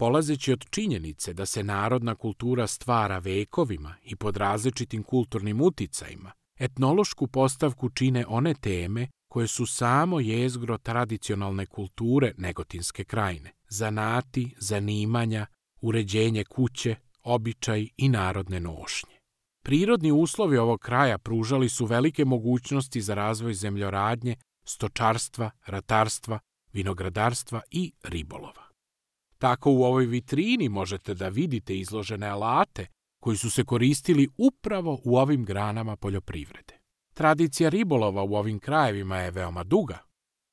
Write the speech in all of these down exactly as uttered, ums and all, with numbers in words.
Polazeći od činjenice da se narodna kultura stvara vekovima i pod različitim kulturnim uticajima, etnološku postavku čine one teme koje su samo jezgro tradicionalne kulture Negotinske krajine, zanati, zanimanja, uređenje kuće, običaj i narodne nošnje. Prirodni uslovi ovog kraja pružali su velike mogućnosti za razvoj zemljoradnje, stočarstva, ratarstva, vinogradarstva i ribolova. Tako u ovoj vitrini možete da vidite izložene alate koji su se koristili upravo u ovim granama poljoprivrede. Tradicija ribolova u ovim krajevima je veoma duga.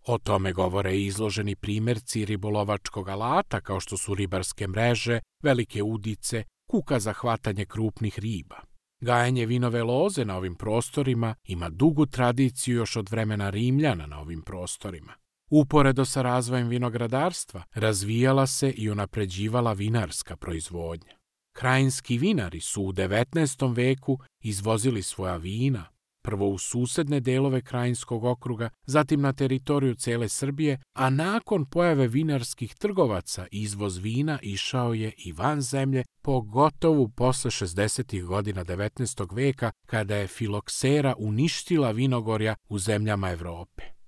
O tome govore i izloženi primjerci ribolovačkog alata kao što su ribarske mreže, velike udice, kuka za hvatanje krupnih riba. Gajenje vinove loze na ovim prostorima ima dugu tradiciju još od vremena Rimljana na ovim prostorima. Uporedo sa razvojem vinogradarstva, razvijala se i unapređivala vinarska proizvodnja. Krajinski vinari su u devetnaestom veku izvozili svoja vina, prvo u susedne delove Krajinskog okruga, zatim na teritoriju cele Srbije, a nakon pojave vinarskih trgovaca izvoz vina išao je i van zemlje, pogotovo posle šezdesetih godina devetnaestog veka, kada je filoksera uništila vinogorja u zemljama Evrope.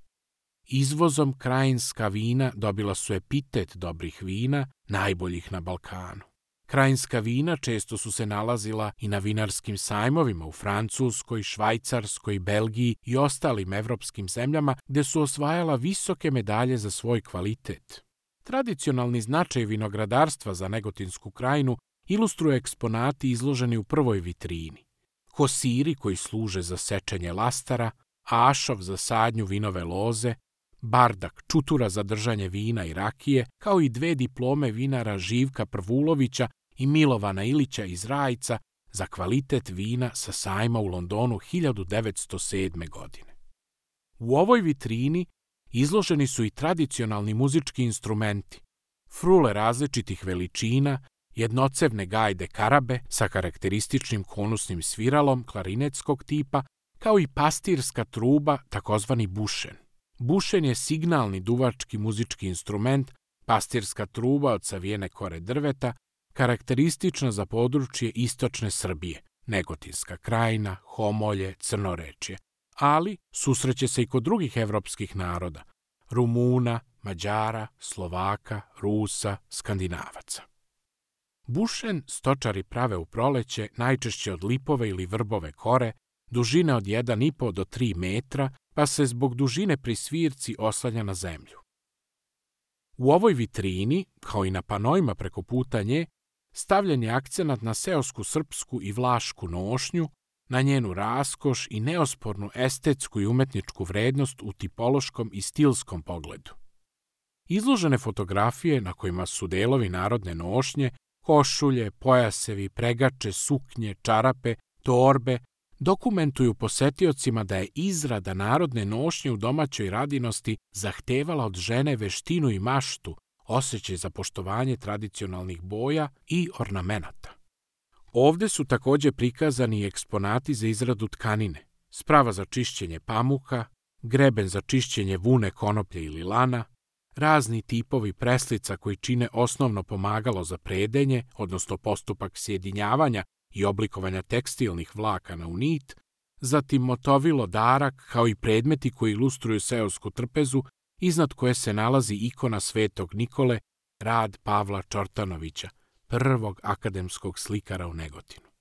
Izvozom krajinska vina dobila su epitet dobrih vina, najboljih na Balkanu. Krajinska vina često su se nalazila i na vinarskim sajmovima u Francuskoj, Švajcarskoj, Belgiji i ostalim evropskim zemljama gde su osvajala visoke medalje za svoj kvalitet. Tradicionalni značaj vinogradarstva za Negotinsku krajinu ilustruje eksponati izloženi u prvoj vitrini. Kosiri koji služe za sečenje lastara, ašov za sadnju vinove loze, bardak, čutura za držanje vina i rakije, kao i dve diplome vinara Živka Prvulovića i Milovana Ilića iz Rajca za kvalitet vina sa sajma u Londonu hiljadu devetsto sedme. godine. U ovoj vitrini izloženi su i tradicionalni muzički instrumenti, frule različitih veličina, jednocevne gajde karabe sa karakterističnim konusnim sviralom klarinetskog tipa, kao i pastirska truba, takozvani bušen. Bušen je signalni duvački muzički instrument, pastirska truba od savijene kore drveta, karakteristična za područje istočne Srbije, Negotinska krajina, Homolje, Crnorečje, ali susreće se i kod drugih evropskih naroda, Rumuna, Mađara, Slovaka, Rusa, Skandinavaca. Bušen stočari prave u proleće najčešće od lipove ili vrbove kore, dužine od jedan i po do tri metra, pa se zbog dužine pri svirci oslanja na zemlju. U ovoj vitrini, kao i na panojima preko puta nje, stavljen je akcenat na seosku srpsku i vlašku nošnju, na njenu raskoš i neospornu estetsku i umetničku vrednost u tipološkom i stilskom pogledu. Izložene fotografije na kojima su delovi narodne nošnje, košulje, pojasevi, pregače, suknje, čarape, torbe, dokumentuju posetiocima da je izrada narodne nošnje u domaćoj radinosti zahtevala od žene veštinu i maštu, osjećaj za poštovanje tradicionalnih boja i ornamenata. Ovde su takođe prikazani i eksponati za izradu tkanine, sprava za čišćenje pamuka, greben za čišćenje vune, konoplje ili lana, razni tipovi preslica koji čine osnovno pomagalo za predenje, odnosno postupak sjedinjavanja i oblikovanja tekstilnih vlakana u nit, zatim motovilo darak kao i predmeti koji ilustruju seosku trpezu, iznad koje se nalazi ikona Svetog Nikole, rad Pavla Čortanovića, prvog akademskog slikara u Negotinu.